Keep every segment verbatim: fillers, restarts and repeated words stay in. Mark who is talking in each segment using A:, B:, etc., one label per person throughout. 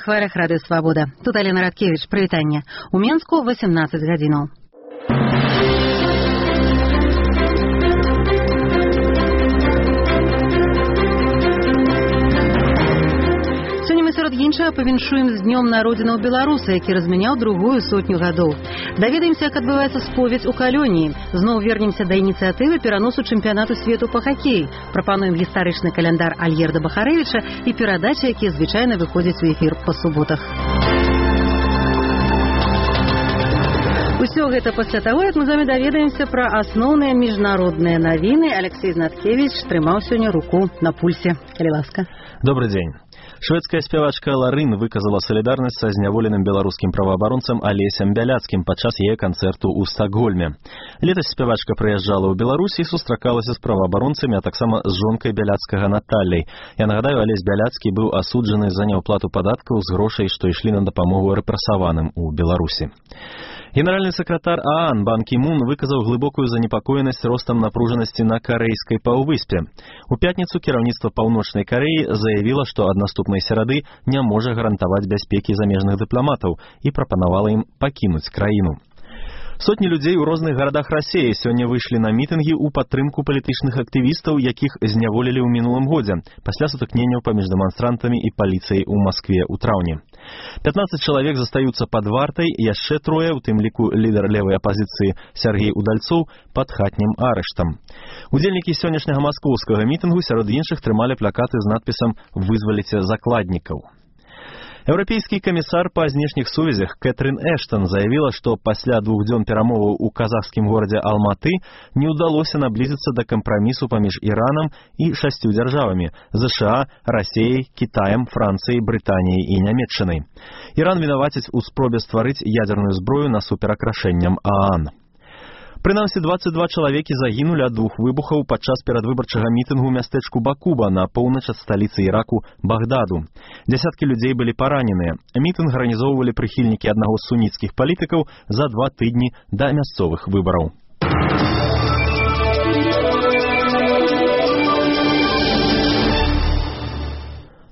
A: хвалях радыё Свабода. Тут Алена Радкевич, прывітанне. У Менску восемнадцаць гадзінаў. Сярод іншага павіншуем з днём народзінаў беларуса, які размяняў другую сотню гадоў. Даведаемся, як адбываецца споведь у Калёніі. Зноў вернемся да ініцыятывы пераносу чэмпіянату свету па хакеі. Прапануем гістарычны каляндар Альгерда Бахарэвіча і перадачы, якія звычайна выходзяць у эфір па суботах. Усё гэта пасля таго, як мы з вамі даведаемся пра асноўныя міжнародныя навіны. Алексей Знаткевич трымаў сёння руку на пульсе. Калі ласка.
B: Добрый дзень. Шведская спявачка Ларын выказала салідарнасць са зняволеным беларускім праваабаронцам Алесем Бяляцкім падчас яе канцэрту ў Стакгольме. Летась спявачка прыязджала ў Беларусь і сустракалася з праваабаронцамі, а таксама з жонкай Бяляцкага Наталляй. Я нагадаю, Алесь Бяляцкі быў асуджаны за няўплату падаткаў з грошай, што ішлі на дапамогу рэпрэсаваным у Беларусі. Генеральны сакратар ААН Бан Кі Мун выказаў глыбокую занепакоенасць ростам напружанасці на карэйскай паўвыспе. У пятніцу кіраўніцтва Паўночнай Карэі заявіла, што ад наступнай серады не можа гарантаваць бяспекі замежных дыпламатаў і прапанавала ім пакінуць краіну. Сотні людзей у розных гарадах Расіі сёння выйшлі на мітынгі ў падтрымку палітычных актывістаў, якіх зняволілі ў мінулым годзе, пасля сутыкненняў паміж дэманстрантамі і паліцыяй у Маскве ў траўні. пятнаццаць чалавек застаюцца пад вартай, яшчэ трое, у тым ліку лідар левай апазіцыі Сяргей Удальцоў, пад хатнім арыштам. Удзельнікі сённяшняга маскоўскага мітынгу сярод іншых трымалі плакаты з надпісам «Вызваліце закладнікаў». Еўрапейскі камісар па знешніх сувязях Кэтрин Эштон заявіла, што пасля двух дзён перамоваў у казахскім горадзе Алматы не ўдалося наблізіцца да кампрамісу паміж Іранам і шасцю дзяржавамі – ЗША, Расіяй, Кітаем, Францыяй, Брытаніяй і Нямецчынай. Іран вінаваціць у спробе стварыць ядзерную зброю насуперак рашэнням ААН. Прынамсі, дваццаць два чалавекі загінулі ад двух выбухаў падчас перадвыбарчага мітынгу ў мястэчку Бакуба на поўнач ад сталіцы Іраку Багдаду. Дзясяткі людзей былі параненыя. Мітынг арганізоўвалі прыхільнікі аднаго з суніцкіх палітыкаў за два тыдні да мясцовых выбараў.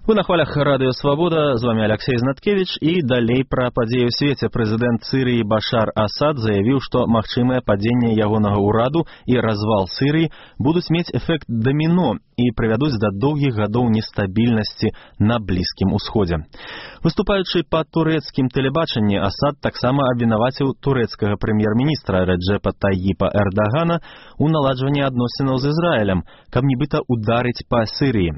B: Вы на хвалях радыё Свабода, з вами Алексей Знаткевич, і далей пра падзеі ў свеце. Прэзідэнт Сірыі Башар Асад заявіў, што магчымае падзенне ягонага ўраду і развал Сірыі будуць мець эфект даміно і прывядуць да доўгіх гадоў нестабільнасці на Блізкім Усходзе. Выступаючы па турэцкім тэлебачанні, Асад таксама абвінаваціў турэцкага прэм'ер-міністра Рэджэпа Таіпа Эрдагана ў наладжванні адносінаў з Ізраілем, каб нібыта ударыць па Сірыі.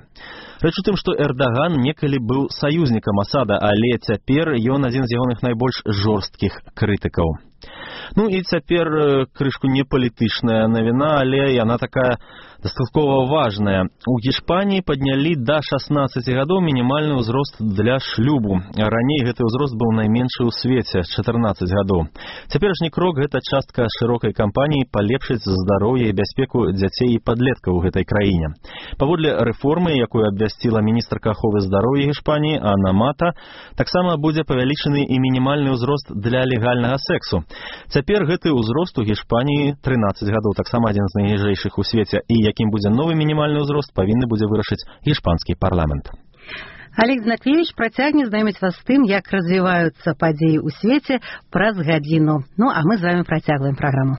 B: Рэч у тым, што Эрдаган некалі быў саюзнікам Асада, але цяпер ён адзін з ягоных найбольш жорсткіх крытыкаў. Ну і цяпер крышку не палітычная навіна, але яна такая дастаткова важная. У Гішпаніі паднялі да шаснаццаці гадоў мінімальны ўзрост для шлюбу. Раней гэты ўзрост быў найменшы ў свеце – чатырнаццаць гадоў. Цяперашні крок – гэта частка шырокай кампаніі палепшыць здароўе і бяспеку дзяцей і падлеткаў у гэтай краіне. Паводле рэформы, якую абвясціла міністрка аховы здароўя Гішпаніі Анна Мата, таксама будзе павялічаны і мінімальны ўзрост для легальнага сексу. Цяпер гэты ўзрост у Гішпаніі трынаццаць гадоў, таксама адзін з найніжэйшых у свеце, і якім будзе новы мінімальны ўзрост, павінны будзе вырашыць гішпанскі парламент.
A: Алексей Знаткевич працягне знаёміць вас з тым, як развіваюцца падзеі ў свеце праз гадзіну. Ну, а мы з вами працягваем праграму.